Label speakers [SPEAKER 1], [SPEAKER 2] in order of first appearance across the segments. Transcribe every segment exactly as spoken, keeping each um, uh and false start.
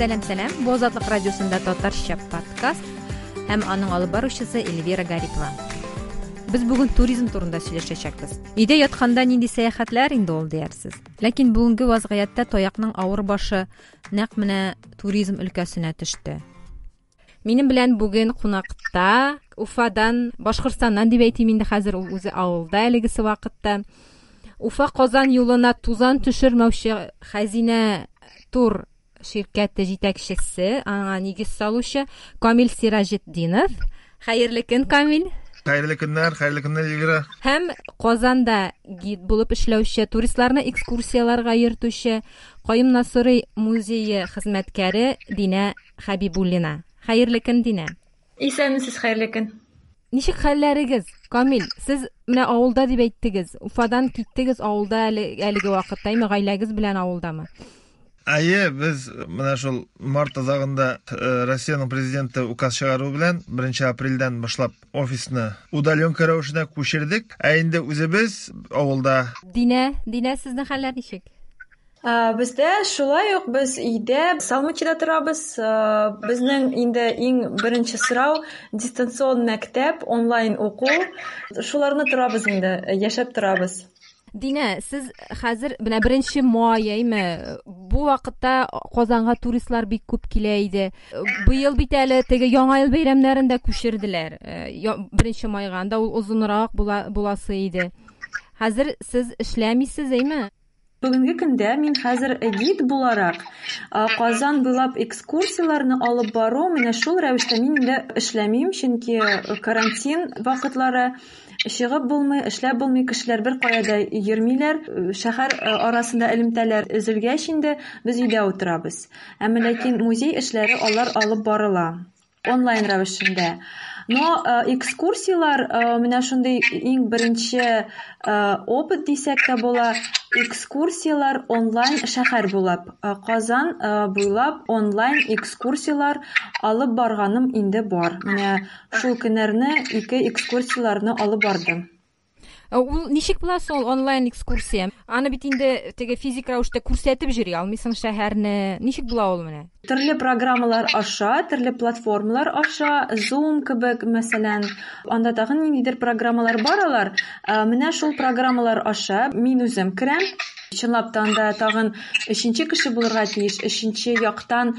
[SPEAKER 1] Сәлам, сәлам. Бу Азатлык радиосында татарча подкаст һәм аның алып баручысы Эльвира Гарипова. Без бүген туризм турында сөйләшәчәкбез. Өйдә ятканда нинди сәяхәтләр инде ул диярсез. Ләкин бүгенге вазгыятьтә таякның авыр башы нәкъ менә туризм өлкәсенә төште. Минем белән бүген кунакта Уфадан, Башкортстаннан дип әйтим инде хәзер, ул үзе авылда әлегесе вакытта. Уфа Казан юлына тузан төшермәүче Хәзинә тур ширкәте җитәкчесе, аңа нигез салучы Камил Сираҗетдинов. Хәерле көн, Камил.
[SPEAKER 2] Хәерле көннәр, хәерле көннәр, Эльвира.
[SPEAKER 1] Һәм Казанда гид булып эшләүче, туристларны экскурсияләргә йөртүче Каюм Насыйри музее хезмәткәре Динә Хәбибуллина. Хәерле көн, Динә.
[SPEAKER 3] Исәнмесез, хәерле көн.
[SPEAKER 1] Ничек хәлләрегез? Камил, сез менә авылда дип әйттегез. Уфадан киттегез, авылда әле, әлеге вакытта, әйме, гаиләгез белән авылдамы?
[SPEAKER 2] Әйе, без менә шул март азагында э, Россиянең президенты указ чыгаруы белән беренче апрельдән башлап офисны удаленка рәвешенә күчердек. Ә инде үзебез авылда.
[SPEAKER 1] Динә, Динә, сезнең хәлләр ничек?
[SPEAKER 3] Ә, Бездә шулай ук, без өйдә, Салмачида торабыз. Ә, Безнең инде иң беренче сорау дистанцион мәктәп, онлайн уку. Шуларны торабыз инде, яшәп торабыз.
[SPEAKER 1] Динә, сез хәзер менә беренче май, әйме, бу вакытта Казанга туристлар бик күп килә иде. Быел бит әле теге Яңа ел бәйрәмнәрен дә күчерделәр. Э, беренче майга, анда ул озынрак була, буласы иде. Хәзер сез эшләмисез, әйме?
[SPEAKER 3] Бүгенге көндә мин хәзер гид буларак Казан буйлап экскурсияләрне алып бару, менә шул рәвештә мин инде эшләмим, чөнки карантин вакытлары, чыгып булмый, эшләп булмый, кешеләр бер кая да йөрмиләр, шәһәр арасында элемтәләр өзелгәч инде без өйдә утырабыз. Әмма ләкин музей эшләре алар алып барыла онлайн рәвешендә. Но экскурсияләр менә шундый иң беренче опыт дисәк тә була, экскурсияләр онлайн шәһәр буйлап, Казан буйлап онлайн экскурсияләр алып барганым инде бар. Менә шул көннәрне ике экскурсияләрне алып бардым.
[SPEAKER 1] Ул ничек була соң онлайн экскурсия? Аны бит инде теге физик рәвештә күрсәтеп йөри алмыйсың шәһәрне. Ничек була ул менә?
[SPEAKER 3] Төрле программалар аша, төрле платформалар аша, Zoom кебек, мәсәлән, анда тагын ниндидер программалар бар алар. Менә шул программалар аша мин үзем керәм. Чынлап та анда тагын өченче кеше булырга тиеш, өченче яктан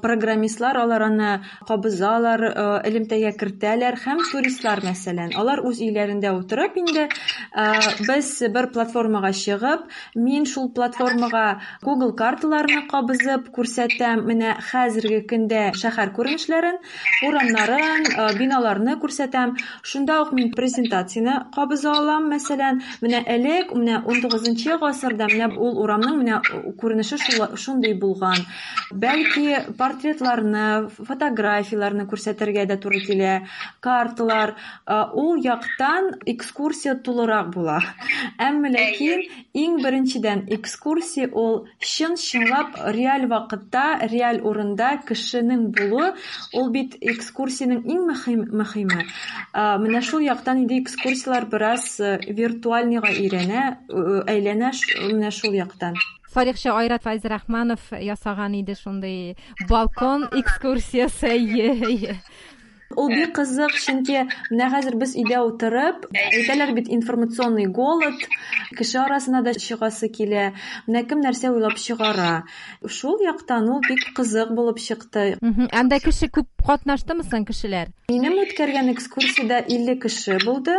[SPEAKER 3] программистлар алар аны кабызалар, элемтәгә кертәләр һәм туристлар, мәсәлән, алар үз өйләрендә утырып инде без бер платформага чыгып, мин шул платформага Google карталарны кабызып күрсәтәм, менә хәзерге көндә шәһәр күренешләрен, урамнарын, биналарны күрсәтәм. Шунда ук мин презентацияне кабыза алам, мәсәлән, менә элек, менә унтугызынчы гасырда менә ул урамның менә күренеше шундый булган. Бәлки портретларны, фотографияләрне күрсәтергә дә туры килә, карталар. Ул яктан экскурсия тулырак була. Әмма ләкин иң беренчедән экскурсия ул чын-чынлап реаль вакытта, реаль урында кешенең булуы, ул бит экскурсиянең иң мөһим, мөһиме. Менә шул яктан инде экскурсияләр бераз виртуальныйга өйрәнә, әйләнә менә шул яктан.
[SPEAKER 1] Тарихчы Айрат Фәйзрахманов ясаган иде шундый балкон экскурсиясе.
[SPEAKER 3] Ул бик кызык, чөнки менә хәзер без өйдә утырып, әйтәләр бит информационный голод, кеше арасына да чыгасы килә, менә кем нәрсә уйлап чыгара. Шул яктан ул бик кызык булып чыкты.
[SPEAKER 1] Анда кеше күп катнаштымы соң кешеләр?
[SPEAKER 3] Минем үткәргән экскурсиядә илле кеше булды.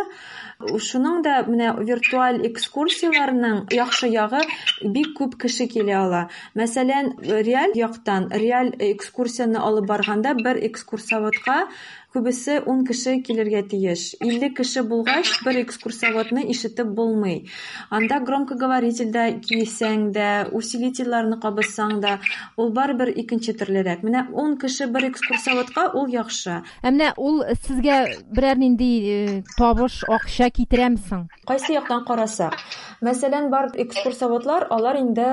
[SPEAKER 3] Шуның да менә виртуаль экскурсияләрнең яхшы ягы, бик күп кеше килә ала. Мәсәлән, реаль яктан, реаль экскурсияне алып барганда бер экскурсоводка күбесе ун кеше килергә тиеш. Илле кеше булгач, бер экскурсоводны ишетеп булмый. Анда громкоговорительдә кисәң дә, усилительләрне кабызсаң да, ул барыбер икенче төрлерәк. Менә ун кеше бер экскурсоводка ул яхшы.
[SPEAKER 1] Ә менә ул сезгә берәр нинди табыш, акча китерәме соң?
[SPEAKER 3] Кайсы яктан карасак, Мәсәлән, бар экскурсоводлар, алар инде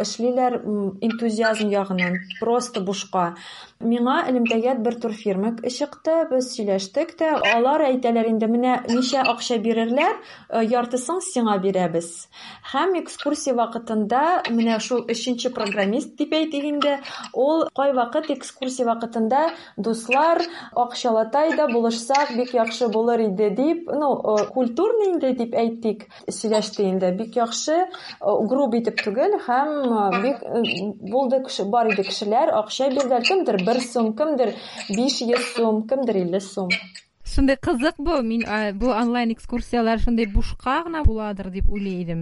[SPEAKER 3] эшлиләр энтузиазм ягыннан, просто бушка. Миңа элемтәгә бер турфирма чыкты, без сөйләштек тә, алар әйтәләр инде, менә ничә акча бирерләр, яртысын сиңа бирәбез. Һәм экскурсия вакытында менә шул өченче программист дип әйтик инде, ул кайвакыт экскурсия вакытында дуслар, акчалатай да булышсак бик яхшы булыр иде дип, ну, культурный инде дип әйтик, сөйләште инде. Бик яхшы, груб итеп түгел, һәм бик булды кеше, бар иде кешеләр, акча бирделәр, кемдер бер сум, кемдер биш йөз сум, кемдер илле сум.
[SPEAKER 1] Шундый кызык бу, мин бу онлайн экскурсияләр шундый бушка гына буладыр дип уйлый идем.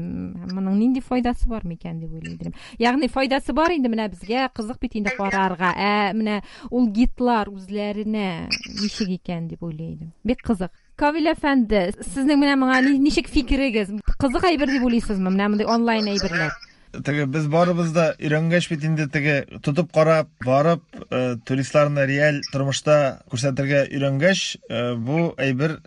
[SPEAKER 1] Моның нинди файдасы бар микән дип уйлый идем. Ягъни файдасы бар инде, менә безгә кызык бит инде карарга. Ә менә ул гидлар үзләренә ничек икән дип уйлый идем. Бик кызык. Камил әфәнде, сезнең менә моңа ничек фикерегез? Кызык әйбер дип уйлыйсызмы? Менә мондый онлайн әйберләр.
[SPEAKER 2] Теге без барыбыз да өйрәнгәч бит инде, теге тотып карап, барып, э, туристларны реаль тормышта күрсәтергә өйрәнгәч, э, бу әйбер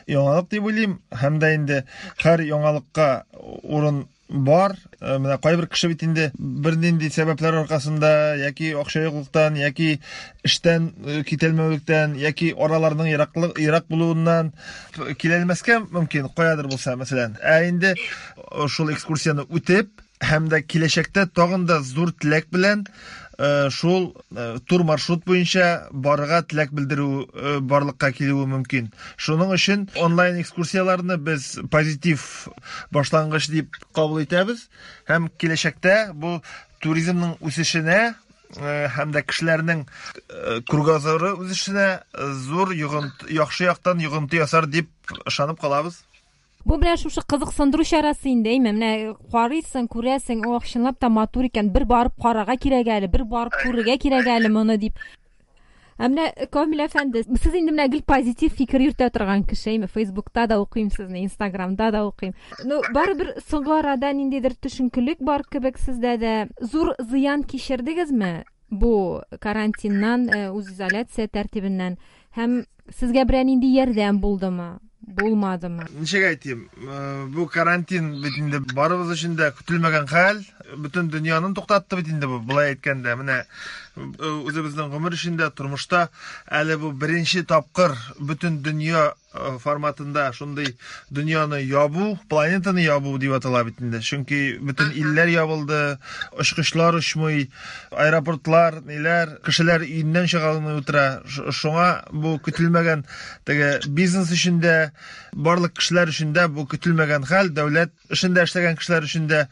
[SPEAKER 2] яңалык дип уйлыйм. Һәм дә инде һәр яңалыкка урын бар. Э, менә кайбер кеше бит инде бернинди сәбәпләр аркасында, яки акча юклыктан, яки эштән китәлмәүлектән, яки араларның ераклык, ерак булуыннан киләлмәскә мөмкин, каядыр булса, мәсәлән. Ә инде шул экскурсияне үтеп, һәм дә киләчәктә тагын да зур теләк белән шул тур маршрут буенча барырга теләк белдерү барлыкка килүе мөмкин. Шуның өчен онлайн экскурсияләрне без позитив башлангыч дип кабул итәбез һәм киләчәктә бу туризмның үсешенә һәм дә кешеләрнең кругозоры үсешенә зур йогынты, яхшы яктан йогынты ясар дип ышанып калабыз.
[SPEAKER 1] Бу белән шушы кызыксындыру чарасы инде, әйме? Менә карыйсың, күрәсең, ох, чынлап та матур икән, бер барып карарга кирәк әле, бер барып күрергә кирәк әле моны дип. Ә менә Камил әфәнде, сез инде менә гел позитив фикер йөртә торган кеше, әйме? Фейсбукта да укыйм сезне, Инстаграмда да укыйм. Ну, барыбер соңгы арада ниндидер төшенкелек бар кебек сездә дә. Зур зыян кичердегезме бу карантиннан, үзизоляция тәртибеннән? Һәм сезгә берәр нинди ярдәм булдымы? Булмадымы?
[SPEAKER 2] Ничек әйтим, бу карантин бит инде барыбыз өчен дә көтелмәгән хәл, бөтен дөньяны туктатты бит инде бу, болай әйткәндә. Менә үзебезнең гомер эчендә, тормышта әле бу беренче тапкыр бөтен дөнья форматында шундый дөньяны ябу, планетаны ябу дип атала бит инде. Чөнки бөтен илләр ябылды, очкычлар очмый, аэропортлар, ниләр, кешеләр өеннән чыга алмый утыра. Шуңа бу көтелмәгән теге бизнес өчен дә, барлык кешеләр өчен дә бу көтелмәгән хәл, дәүләт эшендә эшләгән кешеләр өчен дә.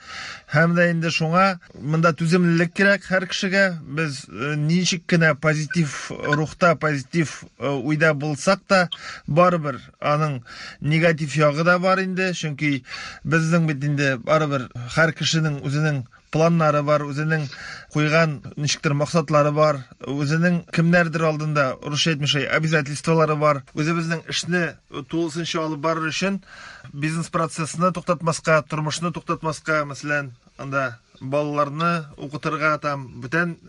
[SPEAKER 2] Һәм дә инде шуңа монда түземлелек кирәк һәр кешегә. Без ничек кенә позитив рухта, позитив уйда булсак та, барыбер аның негатив ягы да бар инде. Чөнки безнең бит инде барыбер һәр кешенең үзенең планнары бар, үзенең куйган ничектер максатлары бар, үзенең кемнәрдер алдында, русча әйтмешли, обязательстволары бар. Үзебезнең эшне тулысынча алып барыр өчен бизнес процессны туктатмаска, тормышны туктатмаска, мәсәлән, анда балаларны укытырга, там бүтән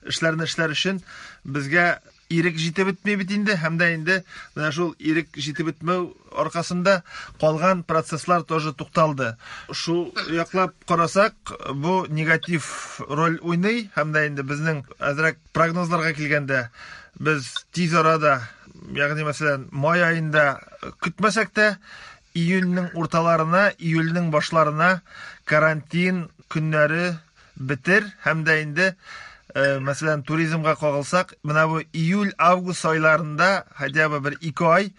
[SPEAKER 2] эшләрне эшләр өчен безгә ирек җитеп бетми бит инде. Һәм дә инде менә шул ирек җитеп бетмәү аркасында калган процесслар тоже тукталды. Шул яклап карасак, бу негатив роль уйный. Һәм дә инде безнең әзрәк прогнозларга килгәндә, без тиз арада, ягъни мәсәлән, май аенда көтмәсәк тә, июньнең урталарына, июльнең башларына карантин көннәре бетер. Һәм дә инде мәсәлән, туризмга кагылсак, менә бу июль-август айларында хотя бы бер ике ай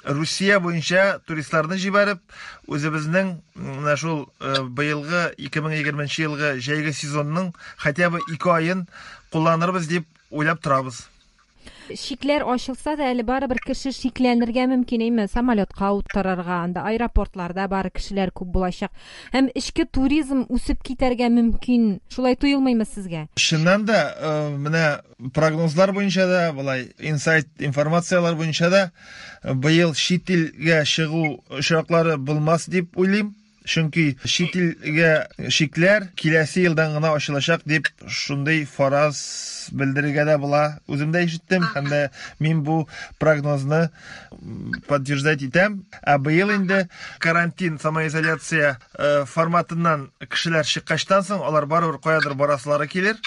[SPEAKER 2] Русия буенча туристларны җибәреп, үзебезнең менә шул быелгы ике мең егерменче елгы җәйге сезонның хотя бы ике аен кулланырбыз дип уйлап торабыз.
[SPEAKER 1] Шикләр ачылса да, әле барыбер кеше шикләнергә мөмкин, әйме? Самолетка утырырга, анда аэропортларда бары кешеләр күп булачак. Һәм эчке туризм үсеп китәргә мөмкин. Шулай тоелмыймы сезгә?
[SPEAKER 2] Чыннан да, менә прогнозлар буенча да, болай инсайт информациялар буенча да быел чит илгә чыгу очраклары булмас дип уйлыйм. Чөнки чит илгә чикләр киләсе елдан гына ачылачак дип шундый фараз белдерергә дә була. Үзем дә ишеттем һәм дә мин бу прогнозны подтверждать итәм. Ә быел инде карантин, самоизоляция форматыннан кешеләр чыккачтан соң алар барыбер каядыр барасылары килер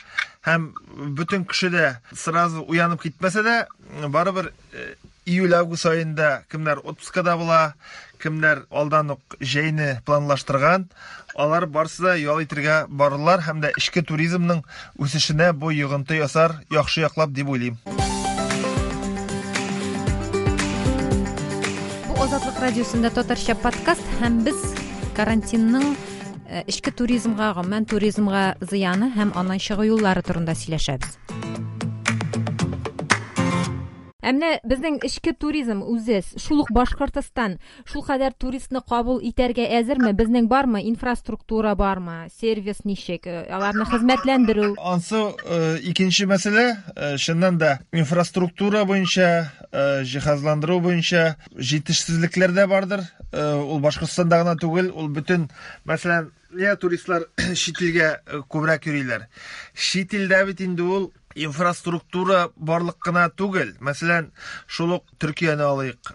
[SPEAKER 2] һәм бөтен кеше дә сразу уянып китмәсә дә, барыбер июль-август аенда кемнәр отпускада була, кемнәр алдан ук җәйне планлаштырган, алар барысы да ял итәргә барырлар һәм дә эчке туризмның үсешенә бу йогынты ясар яхшы яклап дип уйлыйм.
[SPEAKER 1] Бу Азатлык радиосында татарча подкаст һәм без карантинның эчке туризмга, гомумән туризмга зыяны һәм аннан чыгу юллары турында сөйләшәбез. Ә менә безнең эчке туризм үзе, шул ук Башкортостан, шул кадәр туристны кабул итәргә әзерме? Безнең бармы инфраструктура бармы? Сервис ничек? Аларны хезмәтләндерү?
[SPEAKER 2] Ансы икенче мәсьәлә, чыннан да инфраструктура буенча, җиһазландыру буенча җитешсезлекләр дә бардыр. Ул Башкортстанда гына түгел, ул бөтен, мәсәлән, нигә туристлар чит илгә күбрәк йөриләр? Чит илдә бит инде ул инфраструктура барлык кына түгел. Мәсәлән, шул ук Төркияне алыйк,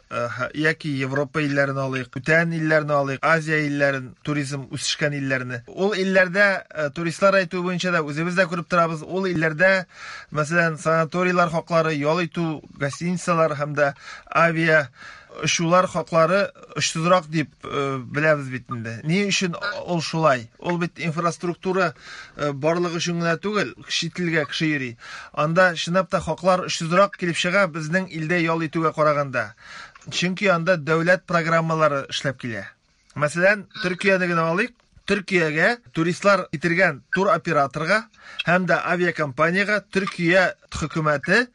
[SPEAKER 2] яки Европа илләрен алыйк, бүтән илләрне алыйк, Азия илләрен, туризм үсешкән илләрне. Ул илләрдә туристлар әйтү буенча да үзебез дә күреп торабыз. Ул илләрдә, мәсәлән, санаторийлар хаклары, ял итү, гостиницалар һәм дә авиа очулар хаклары очсызрак дип беләбез бит инде. Ни өчен ул шулай? Ул бит инфраструктура барлыгы өчен генә түгел, чит илгә кеше йөри. Анда чынлап та хаклар очсызрак килеп чыга безнең илдә ял итүгә караганда. Чөнки анда дәүләт программалары эшләп килә. Мәсәлән, Төркияне генә алыйк. Төркиягә туристлар китергән туроператорга һәм дә авиакомпаниягә Төркия хөкүмәте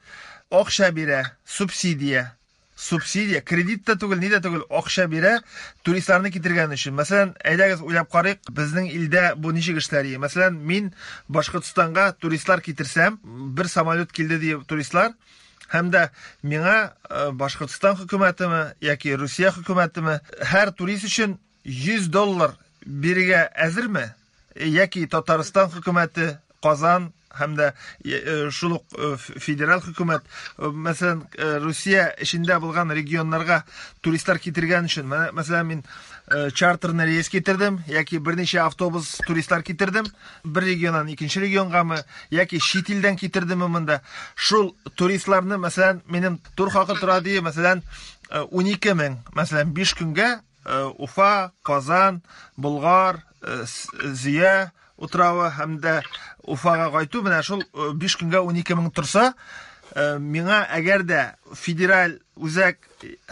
[SPEAKER 2] акча бирә, субсидия. Субсидия, кредит та түгел, ни дә түгел, акча бирә туристларны китергән өчен. Мәсәлән, әйдәгез уйлап карыйк, безнең илдә бу ничек эшләр? Мәсәлән, мин Башкортстанга туристлар китерсәм, бер самолет килде дип туристлар, һәм дә миңа Башкортстан хөкүмәтеме яки Русия хөкүмәтеме һәр турист өчен йөз доллар бирергә әзерме? Яки Татарстан хөкүмәте, Казан һәм дә шул ук федераль хөкүмәт, мәсәлән, Русия эчендә булган регионнарга туристлар китергән өчен, мәсәлән, мин чартерный рейс китердем, яки берничә автобус туристлар китердем, бер регионнан икенче регионгамы, яки чит илдән китердемме монда. Шул туристларны, мәсәлән, минем тур хакы тора ди, мәсәлән, унике мең, мәсәлән, биш көнгә Уфа, Казан, Болгар, Зөя утравы һәм дә Уфага кайту менә шул биш көнгә унике мең торса, миңа әгәр дә федераль үзәк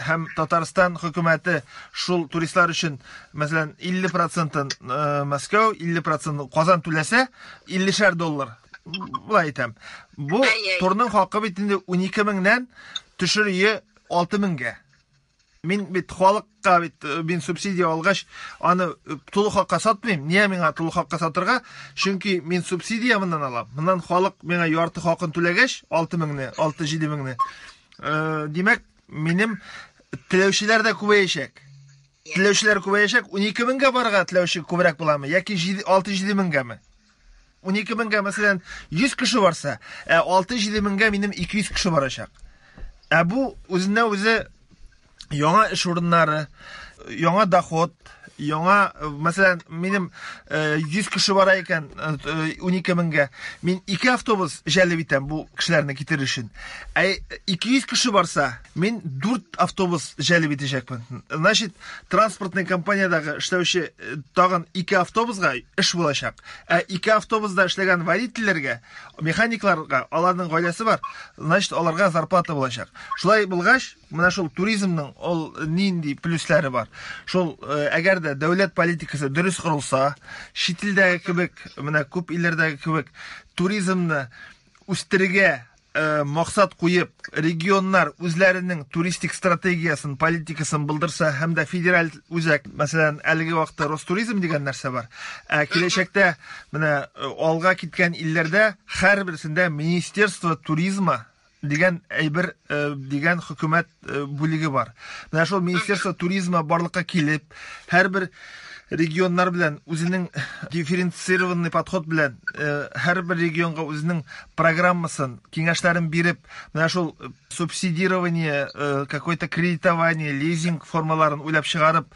[SPEAKER 2] һәм Татарстан хөкүмәте шул туристлар өчен, мәсәлән, илле процентын Мәскәү, илле процентын Казан түләсә, иллешәр доллар. Болай әйтәм. Бу турның хакы бит инде унике меңнән төшер ие алты меңгә. Мин бит халыкка бит мин субсидия алгач, аны тулы хакка сатмыйм. Нигә миңа тулы хакка сатырга? Чөнки мин субсидия моннан алам. Моннан халык миңа ярты хакын түләгәч, алты меңне, алты-җиде меңне. Димәк, минем теләүчеләр дә күбәячәк. Теләүчеләр күбәячәк. Унике меңгә барырга теләүче күбрәк буламы яки алты-җиде меңгәме? Унике меңгә, мәсәлән, йөз кеше барса, ә алты-җиде меңгә минем ике йөз кеше барачак. Ә бу үзеннән үзе яңа эш урыннары, яңа доход, яңа, мәсәлән, минем йөз кеше бара икән унике меңгә, мин ике автобус җәлеп итәм бу кешеләрне китерер өчен. Ә ике йөз кеше барса, мин дүрт автобус җәлеп итәчәкмен. Значит, транспортный компаниядагы эшләүче тагын ике автобусга эш булачак. Ә ике автобуста эшләгән водительләргә, механикларга, аларның гаиләсе бар, значит, аларга зарплата булачак. Шулай булгач, менә шул туризмның ул нинди плюслары бар. Шул әгәр дә дәүләт политикасы дөрес корылса, чит илдәге кебек, менә күп илләрдәге кебек туризмны үстерергә максат куеп, регионнар үзләренең туристик стратегиясын, политикасын булдырса һәм дә федераль үзәк, мәсәлән, әлеге вакытта Ростуризм дигән нәрсә бар. Ә киләчәктә менә алга киткән илләрдә һәрберсендә Министерство туризма дигән әйбер, дигән хөкүмәт бүлеге бар. Менә шул Министерство туризма барлыкка килеп, һәрбер регионнар белән үзенең дифференцированный подход белән һәрбер регионга үзенең программасын, киңәшләрен биреп, менә шул субсидирование, какой-то кредитование, лизинг формаларын уйлап чыгарып,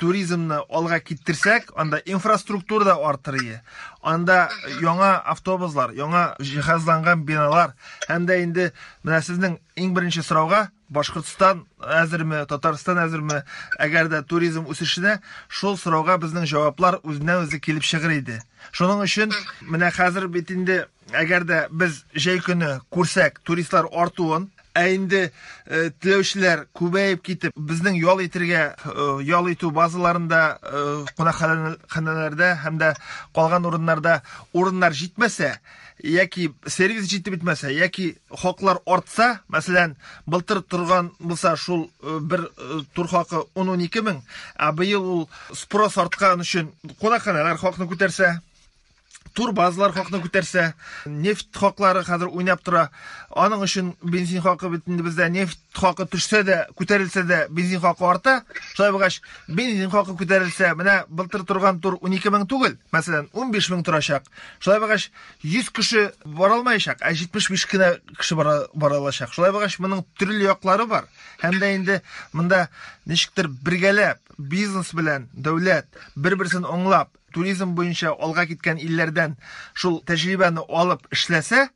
[SPEAKER 2] туризмны алга киттерсәк, анда инфраструктура да артыр иде. Анда яңа автобуслар, яңа җиһазланган биналар һәм дә инде менә сезнең иң беренче сорауга Башкортстан әзерме, Татарстан әзерме, әгәр дә туризм үсешенә, шул сорауга безнең җаваплар үзеннән-үзе килеп чыгыр иде. Шуның өчен менә хәзер бит инде әгәр дә без җәй көне күрсәк туристлар артуын, ә инде теләүчеләр күбәеп китеп, безнең ял итергә, ял итү базаларында, кунакханәләрдә һәм дә калган урыннарда урыннар җитмәсә, яки сервис җитеп бетмәсә, яки хаклар артса, мәсәлән, былтыр торган булса шул бер тур хакы ун-ун ике мең, ә быел ул спрос арткан өчен кунакханәләр хакны күтәрсә, турбазалар хакны күтәрсә, нефть хаклары хәзер уйнап тора. Аның өчен бензин хакы бит инде бездә нефть хакы төшсә дә, күтәрелсә дә бензин хакы арта. Шулай булгач, бензин хакы күтәрелсә, менә былтыр торган тур ун ике мең түгел, мәсәлән, ун биш мең торачак. Шулай булгач, йөз кеше бара алмаячак, ә җитмеш биш кенә кеше бара, бара алачак. Шулай булгач, моның төрле яклары бар. Һәм дә инде монда ничектер бергәләп бизнес белән дәүләт бер-берсен аңлап, туризм буенча алга киткән илләрдән шул тәҗрибәне алып эшләсә,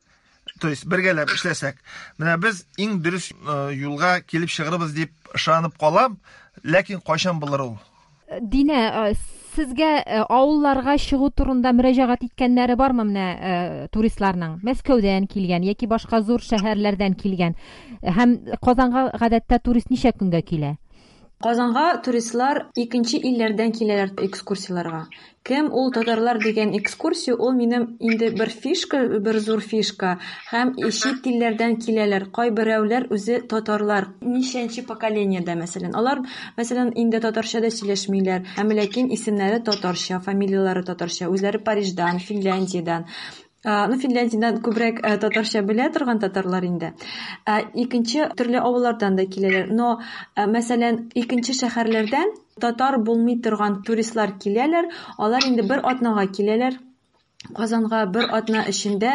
[SPEAKER 2] то есть бергәләп эшләсәк, менә без иң дөрес юлга килеп чыгарбыз дип ышанып калам, ләкин кайчан булыр ул?
[SPEAKER 1] Динә, сезгә авылларга чыгу турында мөрәҗәгать иткәннәре бармы менә туристларның? Мәскәүдән килгән яки башка зур шәһәрләрдән килгән. Һәм Казанга гадәттә турист ничә көнгә килә?
[SPEAKER 3] Казанга туристлар икенче илләрдән киләләр экскурсияләргә. Кем ул татарлар дигән экскурсия, ул минем инде бер фишка, бер зур фишка. Һәм чит илләрдән киләләр. Кайберәүләр үзе татарлар. Ничәнче поколениедә, мәсәлән. Алар, мәсәлән, инде татарча да сөйләшмиләр. Һәм ләкин исемнәре татарча, фамилияләре татарча. Үзләре Париждан, Финляндиядән. Ну, Финляндиядән күбрәк татарча белә торган татарлар инде. Икенче төрле авыллардан да киләләр. Но, мәсәлән, икенче шәһәрләрдән татар булмый торган туристлар киләләр. Алар инде бер атнага киләләр. Казанга бер атна эчендә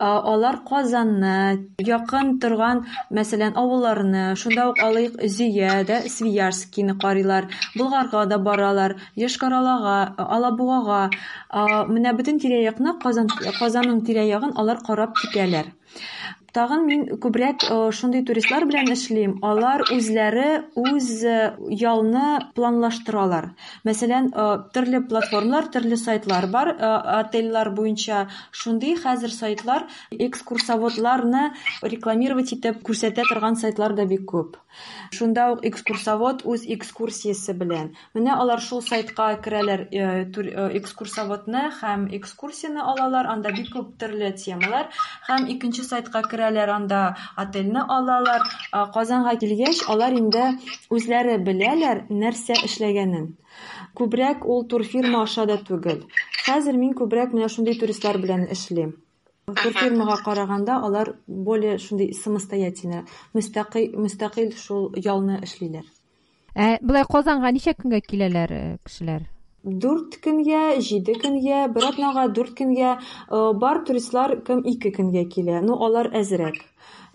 [SPEAKER 3] алар Казанны, якын торган, мәсәлән, авылларны, шунда ук алыйк Зөядә, Свияжскийны карыйлар, Болгарга да баралар, Йошкар-Олага, Алабугага, менә бөтен тирә-якны, Казан, Казанның тирә-ягын алар карап китәләр. Тагын мин күбрәк шундый туристлар белән эшлим. Алар үзләре үз ялны планлаштыралар. Мәсәлән, төрле платформалар, төрле сайтлар бар, отельләр буенча шундый хәзер сайтлар экскурсоводларны рекламировать итеп күрсәтә торган сайтлар да бик күп. Шунда ук экскурсовод үз экскурсиясе белән. Менә алар шул сайтка керәләр, экскурсоводны һәм экскурсияне алалар, анда бик күп төрле темалар, һәм икенче сайтка керәләр, анда отельне алалар. Казанга килгәч, алар инде үзләре беләләр нәрсә эшләгәнен. Күбрәк ул турфирма аша да түгел. Хәзер мин күбрәк менә шундый туристлар белән эшлим. Турфирмага караганда алар более шундый самостоятельно, мөстәкыйль, мөстәкыйль шул ялны эшлиләр.
[SPEAKER 1] Ә болай Казанга ничә көнгә киләләр кешеләр?
[SPEAKER 3] Дүрт көнгә, җиде көнгә, бер атнага дүрт көнгә, бар туристлар кем ике көнгә килә. Ну, алар әзрәк.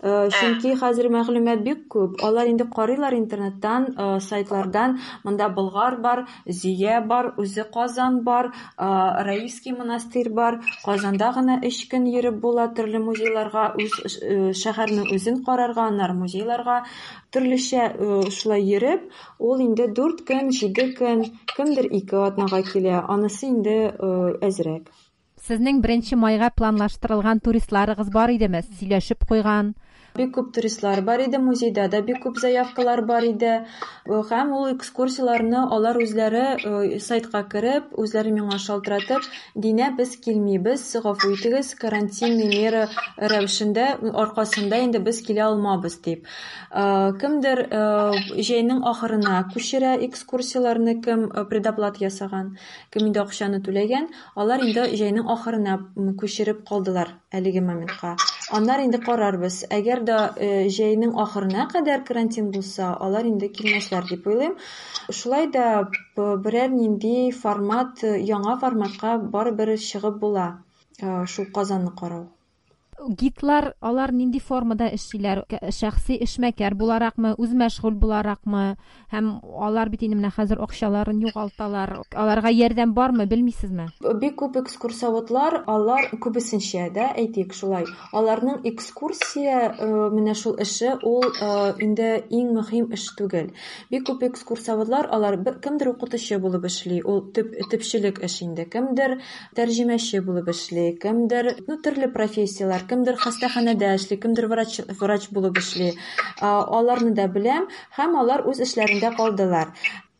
[SPEAKER 3] Чөнки хәзер мәгълүмат бик күп. Алар инде карыйлар интернеттан, сайтлардан. Монда Болгар бар, Зөя бар, үзе Казан бар, Раевский монастырь бар. Казанда гына өч көн йөреп була төрле музейларга, үз шәһәрнең үзен карарга, аннары музейларга төрлечә шулай йөреп, ул инде дүрт көн, җиде көн, кемдер ике атнага килә. Анысы инде әзрәк.
[SPEAKER 1] Сезнең беренче майга планлаштырылган туристларыгыз бар идеме? Сөйләшеп куйган?
[SPEAKER 3] Бик күп туристлар бар иде, музейда да бик күп заявкалар бар иде. Һәм ул экскурсияләрне алар үзләре сайтка кереп, үзләре миңа шалтыратып, Динә, без килмибез, гафу итегез, карантинный мера рәвешендә аркасында инде без килә алмабыз дип. Кемдер җәйнең ахырына күчерә экскурсияләрне, кем предоплата ясаган, кем инде акчаны түләгән, алар инде җәйнең ахырына күчереп калдылар әлеге моментка. Аннары инде карарбыз. Әгәр дә җәйнең ахырына кадәр карантин булса, алар инде килмәсләр дип уйлыйм. Шулай да берәр нинди формат, яңа форматка барыбер чыгып була шул Казанны карау.
[SPEAKER 1] Гидлар алар нинди формада эшлиләр? Шәхси эшмәкәр буларакмы, үзмәшгуль буларакмы? Һәм алар бит инде менә хәзер акчаларын югалталар. Аларга ярдәм бармы, белмисезме?
[SPEAKER 3] Бик күп экскурсоводлар, алар күбесенчә дә, әйтик шулай, аларның экскурсия менә шул эше ул инде иң мөһим эш түгел. Бик күп экскурсоводлар, алар кемдер укытучы булып эшли, ул төп, төпчелек эш инде, кемдер тәрҗемәче булып эшли, кемдер, ну, төрле профессияләр, кемдер хастаханәдә эшли, кемдер врач, врач булып эшли. Аларны да беләм, һәм алар үз эшләрендә калдылар.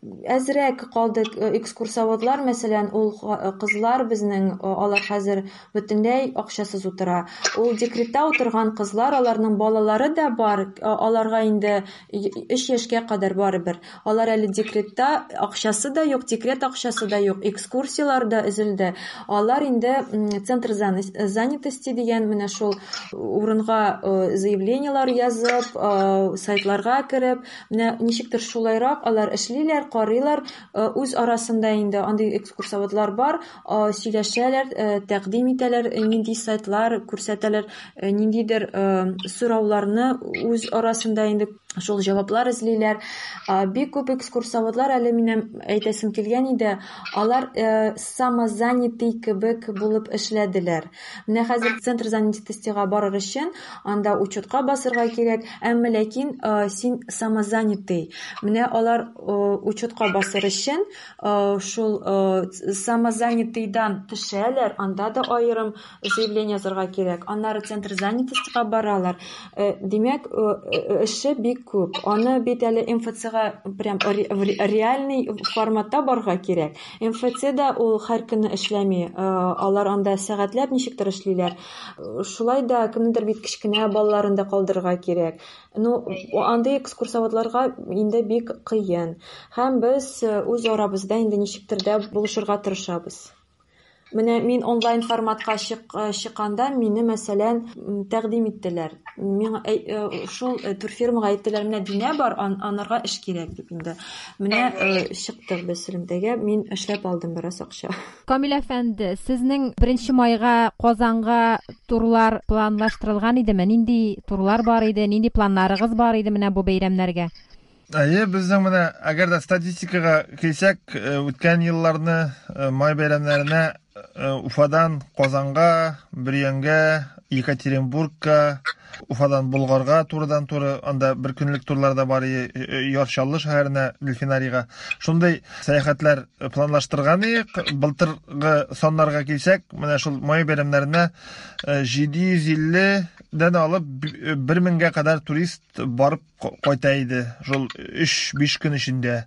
[SPEAKER 3] Әзрәк калды экскурсоводлар, мәсәлән, ул кызлар безнең, алар хәзер бөтенләй акчасыз утыра. Ул декретта утырган кызлар, аларның балалары да бар, аларга инде өч яшькә кадәр барыбер. Алар әле декретта, акчасы да юк, декрет акчасы да юк, экскурсиялар да өзелде. Алар инде центр занятости дигән менә шул урынга заявлениелар язып, сайтларга кереп, менә ничектер шулайрак алар эшлиләр, карыйлар, үз арасында инде андый экскурсоводлар бар, сөйләшәләр, тәкъдим итәләр, нинди сайтлар күрсәтәләр, ниндидер сорауларны үз арасында инде шул җаваплар эзлиләр. Бик күп экскурсоводлар, әле минем әйтәсем килгән иде, алар самозанятый кебек булып эшләделәр. Менә хәзер центр занятостига барыр өчен анда учетка басырга кирәк, әмма ләкин син самозанятый. Менә алар учетка басыр өчен шул самозанятыйдан төшәләр, анда да аерым заявление язарга кирәк. Аннары центр занятостига баралар. Димәк, эше бик күп. Аны бит әле эм эф цэ-га прям реальный форматта барырга кирәк. эм эф цэ да ул һәр көнне эшләми. Алар анда сәгатьләп ничектер эшлиләр. Шулай да кемнедер бит кечкенә балаларын да калдырырга кирәк. Ну, андый экскурсоводларга инде бик кыен. Һәм без үз арабызда инде ничектер дә булышырга тырышабыз. Менә мин онлайн форматка чыкканда мине, мәсәлән, тәкъдим иттеләр. Миңа шул турфирмага әйттеләр, менә Динә бар, анарга эш кирәк дип инде. Менә чыктык без элемтәгә, мин эшләп алдым бераз акча.
[SPEAKER 1] Камил әфәнде, сезнең беренче майга Казанга турлар планлаштырылган идеме? Нинди турлар бар иде, нинди планнарыгыз бар иде менә бу бәйрәмнәргә?
[SPEAKER 2] Әйе, безнең менә әгәр дә статистикага килсәк, үткән елларны май бәйрәмнәренә Уфадан Казанга, Бөрйәнгә, Екатеринбургка, Уфадан Болгарга турыдан-туры, анда бер көнлек турлар да бар, Яр Чаллы шәһәренә, Дельфинарийга. Шундый сәяхәтләр планлаштырган идек. Былтыргы саннарга килсәк, менә шул май бәйрәмнәренә җиде йөз илледән алып бер меңгә кадәр турист барып кайта иде. Шул өч-биш көн эчендә.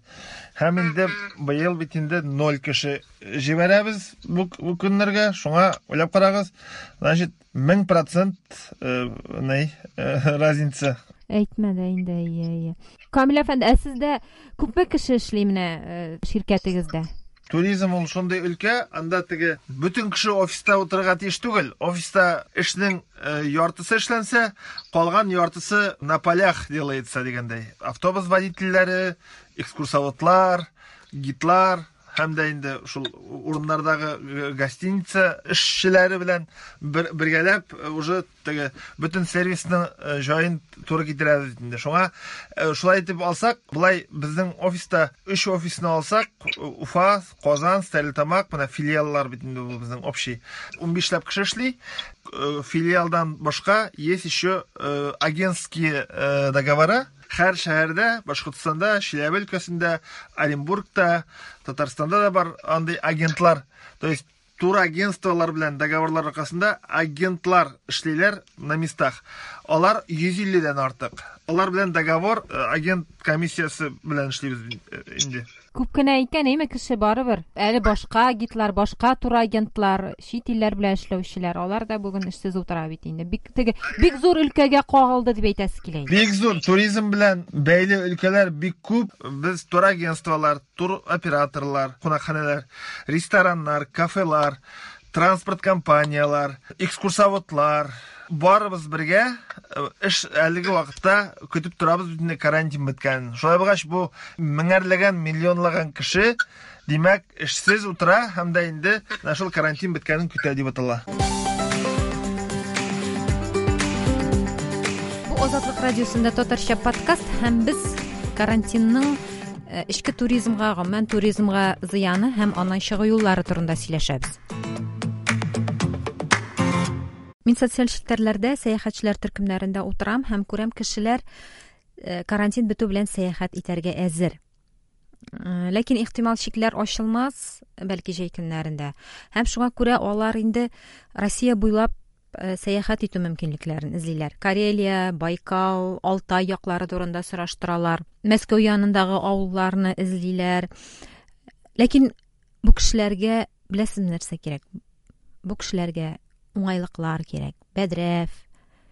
[SPEAKER 2] Һәм инде быел бит инде ноль кеше җибәрәбез бу, бу көннәргә. Шуңа уйлап карагыз, значит, мең процент ни разница.
[SPEAKER 1] Әйтмә дә инде, әйе, әйе. Камил әфәнде, ә сездә күпме кеше эшли менә ширкәтегездә?
[SPEAKER 2] Туризм ул шундый өлкә, анда теге бөтен кеше офиста утырырга тиеш түгел. Офиста эшнең яртысы эшләнсә, калган яртысы на полях делается дигәндәй. Автобус водительләре, экскурсоводлар, гидлар һәм дә инде шул урыннардагы гостиница эшчеләре белән бер, бергәләп уже теге бөтен сервисның җаен туры китерәбез инде. Шуңа шулай итеп алсак, былай безнең офиста өч офисны алсак, Уфа, Казан, Стәрлетамак, менә филиаллар бит инде бу безнең общий. Унбишләп кеше эшли. Филиалдан башка есть еще агентские договора. Һәр шәһәрдә, Башкортстанда, Чиләбе өлкәсендә, Оренбургта, Татарстанда да бар андый агентлар. То есть турагентстволар белән договорлар аркасында агентлар эшлиләр на местах. Алар йөз илледән артык. Алар белән договор агент комиссиясе белән эшлибез инде.
[SPEAKER 1] Күп кенә икән, әйме, кеше барыбер. Әле башка гидлар, башка турагентлар, чит илләр белән эшләүчеләр, алар да бүген эшсез утыра бит инде. Бик теге бик зур өлкәгә кагылды дип әйтәсе килә инде.
[SPEAKER 2] Бик зур туризм белән бәйле өлкәләр бик күп. Без турагентстволар, туроператорлар, кунакханәләр, рестораннар, кафелар, транспорт компаниялар, экскурсоводлар, барыбыз бергә эш әлеге вакытта көтеп торабыз бөтен карантин беткәнен. Шулай булгач, бу меңәрләгән, миллионлаган кеше, димәк, эшсез утыра һәм дә инде менә шул карантин беткәнен көтә дип атала.
[SPEAKER 1] Бу Азатлык радиосында татарча подкаст һәм без карантинның эчке туризмга, гомумән туризмга зыяны һәм аннан чыгу юллары турында сөйләшәбез. Мин социаль челтәрләрдә сәяхәтчеләр төркемнәрендә утырам һәм күрәм, кешеләр карантин бетү белән сәяхәт итәргә әзер. Ләкин ихтимал чикләр ачылмас, бәлки җәй көннәрендә. Һәм шуңа күрә алар инде Россия буйлап сәяхәт итү мөмкинлекләрен эзлиләр. Карелия, Байкал, Алтай яклары турында сораштыралар. Мәскәү янындагы авылларны эзлиләр. Ләкин бу кешеләргә беләсезме нәрсә кирәк? Бу кешеләргә уңайлыклар кирәк. Бәдрәф,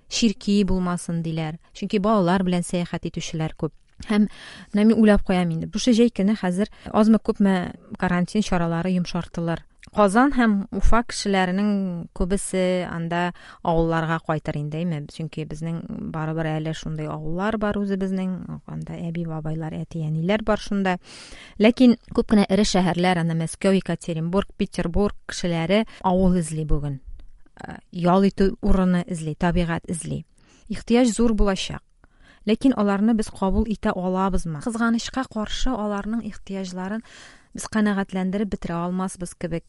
[SPEAKER 1] чирки булмасын диләр. Чөнки балалар белән сәяхәт итүчеләр күп. Һәм менә мин уйлап куям инде. Бу җәй көне хәзер азмы-күпме карантин чаралары йомшартылыр. Казан һәм Уфа кешеләренең күбесе анда авылларга кайтыр инде, әйме? Чөнки безнең барыбер әле шундый авыллар бар үзебезнең, анда әби-бабайлар, әти-әниләр бар шунда. Ләкин күп кенә эре шәһәрләр, анда Мәскәү, Екатеринбург, Петербург кешеләре авыл эзли бүген. Ял итү урыны эзли, табигать эзли. Ихтыяҗ зур булачак. Ләкин аларны без кабул итә алабызмы? Кызганычка каршы, аларның ихтыяҗларын без канәгатьләндереп бетерә алмасбыз кебек.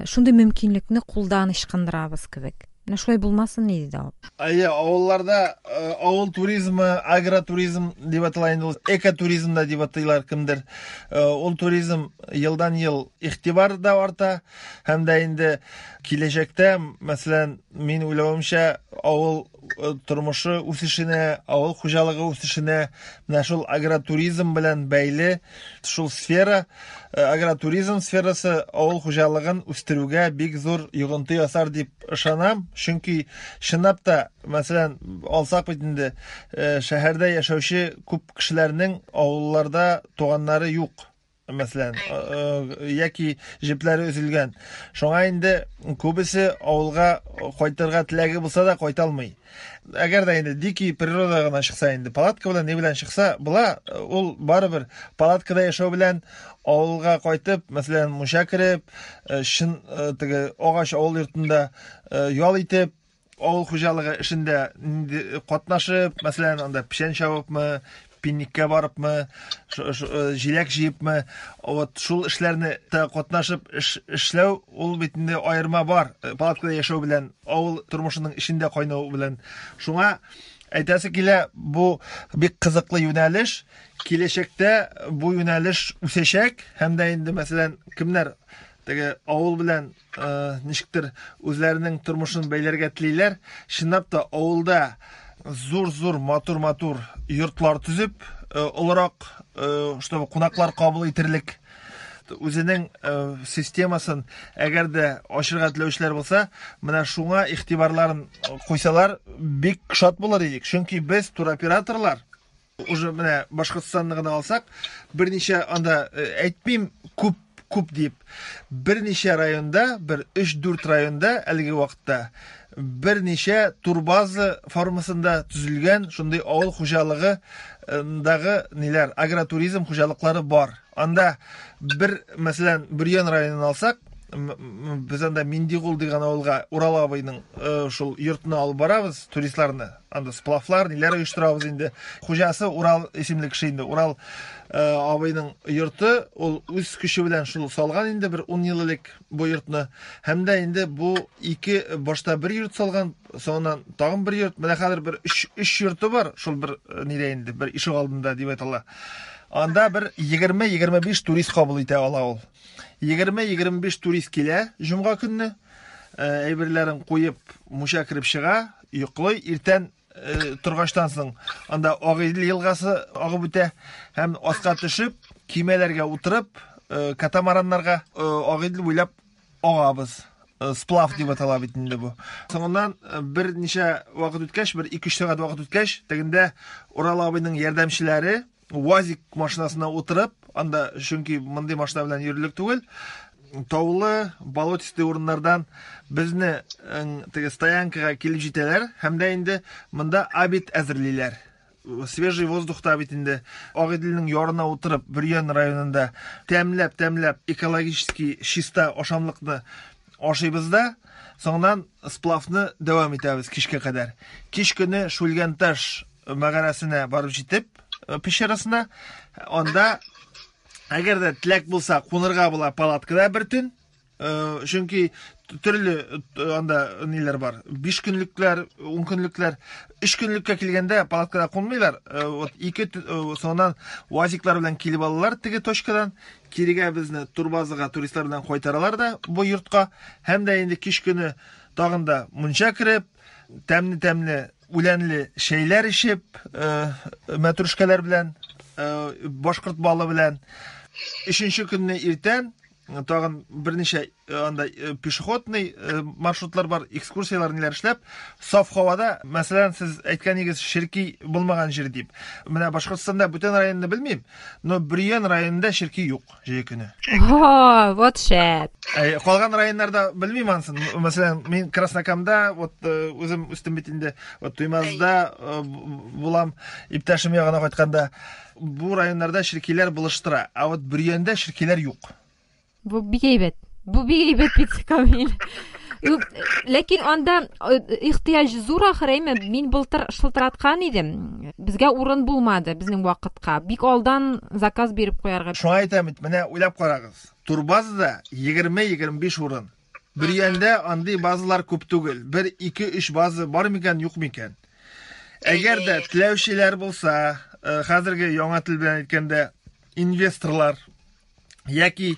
[SPEAKER 1] Шундый мөмкинлекне кулдан ычкындырабыз кебек. Менә шулай булмасын иде дә ул.
[SPEAKER 2] Әйе, авылларда авыл туризмы, агротуризм дип атала инде ул, экотуризм да дип атыйлар кемдер. Ул туризм елдан-ел игътибар да арта һәм дә инде киләчәктә, мәсәлән, мин уйлавымча, авыл тормышы үсешенә, авыл хуҗалыгы үсешенә менә шул агротуризм белән бәйле шул сфера, агротуризм сферасы авыл хуҗалыгын үстерүгә бик зур йогынты ясар дип ышанам. Чөнки чынлап та, мәсәлән, алсак бит инде, шәһәрдә яшәүче күп кешеләрнең авылларда туганнары юк, мәсәлән, яки җепләре өзелгән. Шуңа инде күбесе авылга кайтырга теләге булса да кайта алмый. Әгәр дә инде дикий природа гына чыкса инде, палатка белән ни белән чыкса, була, ул барыбер палаткада яшәү белән авылга кайтып, мәсәлән, мунча кереп, чын теге агач авыл йортында ял итеп, авыл хуҗалыгы эшендә инде катнашып, мәсәлән, анда печән чабыпмы, пикникка барыпмы, җиләк җыепмы, вот шул эшләрне катнашып эшләү, ул бит инде аерма бар палаткада яшәү белән, авыл тормышының эчендә кайнау белән. Шуңа әйтәсе килә, бу бик кызыклы юнәлеш. Киләчәктә бу юнәлеш үсәчәк һәм дә инде, мәсәлән, кемнәр теге авыл белән ничектер үзләренең тормышын бәйләргә телиләр, чынлап та авылда зур-зур, матур-матур йортлар төзеп, олырак, чтобы кунаклар кабул итерлек үзенең системасын әгәр дә ачырга теләүчеләр булса, менә шуңа игътибарларын куйсалар, бик шат булыр идек. Чөнки без туроператорлар, уже менә Башкортстанны гына алсак, берничә анда әйтмим күп күп дип, берничә районда, бер өч-дүрт районда әлеге вакытта берничә турбаза формасында төзелгән шундый авыл хуҗалыгындагы ниләр, агротуризм хуҗалыклары бар. Анда бер, мәсәлән, Бөрьян районын алсак, без анда Миндигул дигән авылга Урал абыйның шул йортына алып барабыз туристларны. Анда сплавлар, ниләр оештырабыз инде. Хуҗасы Урал исемле кеше инде. Урал абыйның йорты, ул үз көче белән шул салган инде бер ун ел элек бу йортны. Һәм дә инде бу ике башта бер йорт салган, соңыннан тагын бер йорт. Менә хәзер бер өч, өч йорты бар, шул бер нидә инде, бер ишек алдында дип әйтә. Анда бер егерме-егерме биш турист кабул итә ала ул. Егерме-егерме биш турист килә җомга көнне, әйберләрен куеп, мунча кереп чыга, йоклый, иртән торгачтан соң анда Агыйдел елгасы агып үтә һәм аска төшеп, кимәләргә утырып, катамараннарга Агыйдел буйлап агабыз. Сплав дип атала бит инде бу. Соңыннан берничә вакыт үткәч, бер ике-өч сәгать вакыт үткәч, тегендә Урал абыйның ярдәмчеләре УАЗик машинасына утырып, анда чөнки мондый машина белән йөрерлек түгел, таулы, болотистый урыннардан безне теге стоянкага килеп җитәләр һәм дә инде монда обед әзерлиләр. Свежий воздухта бит инде Агыйделнең ярына утырып, Бөрьян районында тәмләп-тәмләп экологически чиста ашамлыкны ашыйбыз да, соңыннан сплавны дәвам итәбез кичкә кадәр. Кич көне Шүлгәнташ мәгарәсенә барып җитеп, пещерасына, анда әгәр дә теләк булса, кунырга була палаткада бер төн. Чөнки төрле анда ниләр бар. Биш көнлекләр, ун көнлекләр. Өч көнлеккә килгәндә палаткада кунмыйлар. Вот ике соңыннан уазиклар белән килеп алалар теге точкадан. Кирегә безне турбазага туристлар белән кайтаралар да бу йортка. Һәм дә инде кич көне тагын да мунча кереп, тәмле-тәмле үләнле чәйләр эчеп, мәтрүшкәләр белән, башкорт балы белән. Өченче көнне иртән тагын берничә анда пешеходный маршрутлар бар, экскурсияләр ниләр эшләп, саф һавада, мәсәлән, сез әйткәнегез черки булмаган җир дип. Менә Башкортстанда бүтән районны белмим, но Бөрьян районында черки юк җәй көне.
[SPEAKER 1] О, вот шәп.
[SPEAKER 2] Калган районнарда белмим ансын. Мәсәлән, мин Краснокамда, вот үзем үстем бит инде, вот Туймазда булам, иптәшем ягына кайтканда, бу районнарда черкиләр булыштыра, а вот Бөрьянда черкиләр юк.
[SPEAKER 1] Бу бик әйбәт. Бу бик әйбәт бит, Камил. Ләкин анда ихтыяҗ зур ахыр, әйме? Мин былтыр шылтыраткан идем. Безгә урын булмады безнең вакытка. Бик алдан заказ биреп куярга.
[SPEAKER 2] Шуңа әйтәм бит, менә уйлап карагыз. Турбазада егерме-егерме биш урын. Бөрьяндә андый базалар күп түгел. Бер, ике, өч база бар микән, юк микән? Әгәр дә теләүчеләр булса, хәзерге яңа тел белән әйткәндә, инвесторлар яки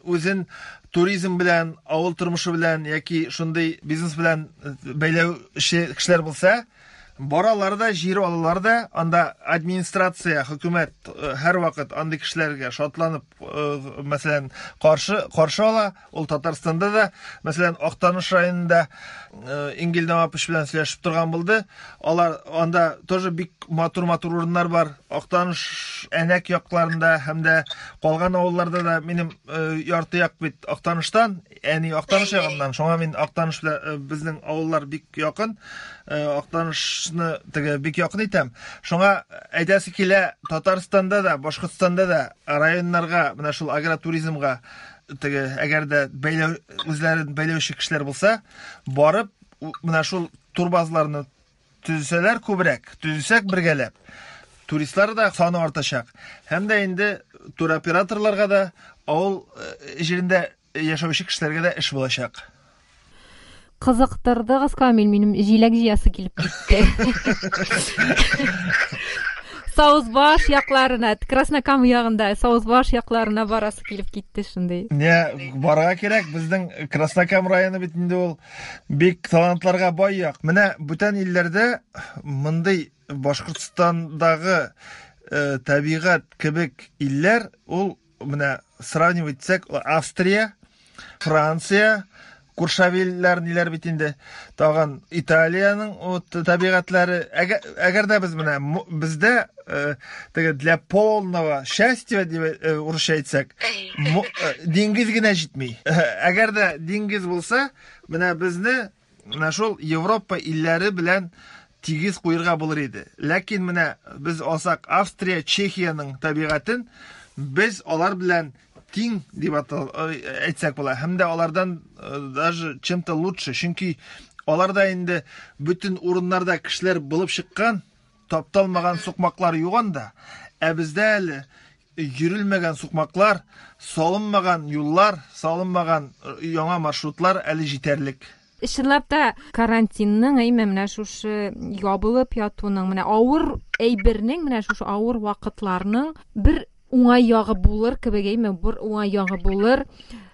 [SPEAKER 2] үзен туризм белән, авыл тормышы белән яки шундый бизнес белән бәйләүче кешеләр булса, баралар да, җир алалар да, анда администрация, хөкүмәт һәрвакыт андый кешеләргә шатланып, мәсәлән, каршы каршы ала. Ул Татарстанда да, мәсәлән, Актаныш районында Ингел Намапович белән сөйләшеп торган булды. Алар анда тоже бик матур-матур урыннар бар. Актаныш Әнәк якларында һәм дә калган авылларда да минем ярты як бит Актаныштан, әни Актаныш ягыннан. Шуңа мин Актаныш белән безнең авыллар бик якын. Актанышны теге бик якын итәм. Шуңа әйтәсе килә, Татарстанда да, Башкортстанда да районнарга, менә шул агротуризмга теге әгәр дә бәйләү, үзләрен бәйләүче кешеләр булса, барып менә шул турбазаларны төзесәләр күбрәк, төзесәк бергәләп, туристлар да саны артачак. Һәм дә инде туроператорларга да, авыл җирендә яшәүче кешеләргә дә эш булачак.
[SPEAKER 1] Кызыктырдыгыз, Камил, минем җиләк җыясы килеп китте. Саузбаш якларына, Краснокам ягында, Саузбаш якларына барасы килеп китте шундый.
[SPEAKER 2] Не, барырга кирәк, безнең Краснокам районы бит инде ул бик талантларга бай як. Менә бүтән илләрдә мондый Башкортстандагы э, табигать кебек илләр, ул менә сравнивать итсәк, Австрия, Франция, Куршавелләр ниләр бит инде, тагын Италиянең вот табигатьләре. Әгәр дә без менә бездә теге для полного счастья дип урысча әйтсәк, диңгез генә җитми. Әгәр дә диңгез булса, менә безне менә шул Европа илләре белән тигез куерга булыр иде. Ләкин менә без алсак Австрия, Чехиянең табигатен, без алар белән тиң дип әйтсәк була. Һәм дә алардан даже чем-то лучше. Чөнки аларда инде бөтен урыннарда кешеләр булып чыккан, тапталмаган сукмаклар юк анда. Ә бездә әле йөрелмәгән сукмаклар, салынмаган юллар, салынмаган яңа маршрутлар әле җитәрлек.
[SPEAKER 1] Чынлап та карантинның, әйме, менә шушы ябылып ятуның, менә авыр әйбернең, менә шушы авыр вакытларның бер уңай ягы булыр кебек, әйме, бер уңай ягы булыр.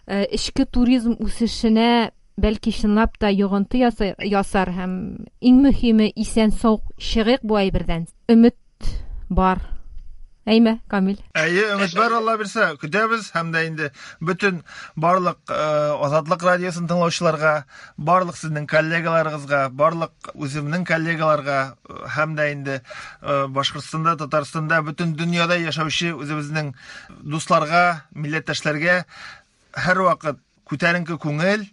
[SPEAKER 1] Эчке туризм үсешенә бәлки чынлап та йогынты ясар һәм иң мөһиме исән сау чыгыйк бу әйбердән. Өмет бар. Әйме, Камил?
[SPEAKER 2] Әйе, өмет бар, Алла бирсә, көтәбез һәм дә инде бөтен барлык Азатлык радиосын тыңлаучыларга, барлык сезнең коллегаларыгызга, барлык үземнең коллегаларга һәм дә инде Башкортстанда, Татарстанда, бөтен дөньяда яшәүче үзебезнең дусларга, милләттәшләргә Һәрвакыт күтәренке күңел,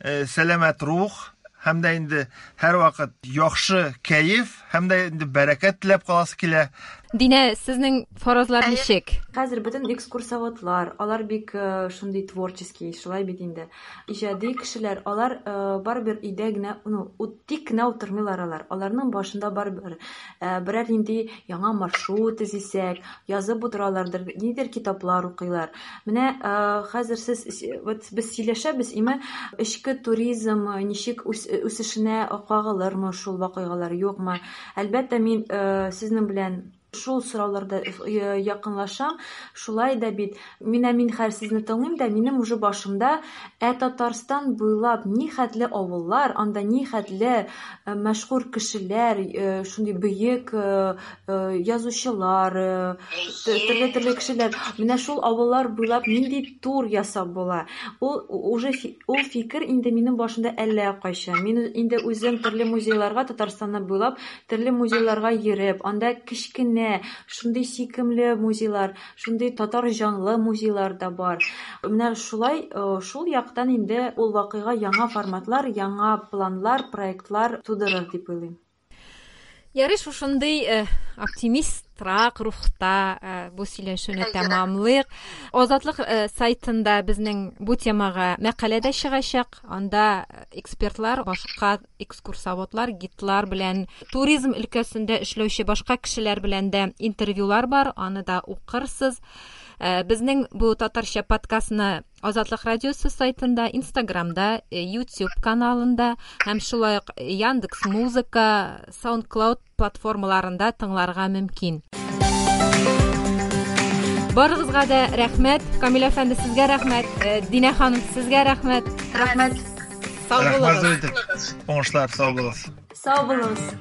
[SPEAKER 2] сәламәт рух һәм дә инде һәрвакыт яхшы кәеф һәм дә инде бәрәкәт теләп каласы килә.
[SPEAKER 1] Динә, сезнең фаразлар ничек?
[SPEAKER 3] Хәзер бөтен экскурсоводлар, алар бик шундый творческий, шулай бит инде. Иҗади кешеләр, алар барыбер өйдә генә, ну, тик кенә утырмыйлар алар. Аларның башында барыбер берәр нинди яңа маршрут төзисәк, язып утыралардыр, нидер китаплар укыйлар. Менә хәзер сез, вот без сөйләшәбез, име эчке туризм ничек үсешенә кагылырмы шул вакыйгалар, юкмы? Әлбәттә, мин сезнең белән шул сорауларда якынлашам. Шулай да бит, менә мин хәзер сезне тыңлыйм да, минем уже башымда ә Татарстан буйлап ни хәтле авыллар, анда ни хәтле мәшһүр кешеләр, шундый бөек язучылар, төрле-төрле кешеләр. Менә шул авыллар буйлап нинди тур ясап була. Ул уже ул фикер инде минем башымда әллә кайчан. Мин инде үзем төрле музейларга Татарстанны буйлап төрле музейларга йөреп, анда кечкенә шундый сөйкемле музейлар, шундый татар җанлы музейлар да бар. Менә шулай, шул яктан инде ул вакыйга яңа форматлар, яңа планлар, проектлар тудырыр дип уйлыйм.
[SPEAKER 1] Ярый, шушындый оптимистрак рухта бу сөйләшүне тәмамлыйк. Азатлык сайтында безнең бу темага мәкалә дә чыгачак. Анда экспертлар, башка экскурсоводлар, гидлар белән, туризм өлкәсендә эшләүче башка кешеләр белән дә интервьюлар бар, аны да укырсыз. Безнең бу татарча подкастны Азатлык радиосы сайтында, Инстаграмда, YouTube каналында һәм шулай ук Яндекс Музыка, SoundCloud платформаларында тыңларга мөмкин. Барыгызга да рәхмәт. Камил әфәнде, сезгә рәхмәт. Динә ханым, сезгә рәхмәт.
[SPEAKER 3] Рәхмәт.
[SPEAKER 1] Сау булыгыз.
[SPEAKER 2] Уңышлар, сау булыгыз.
[SPEAKER 3] Сау булыгыз.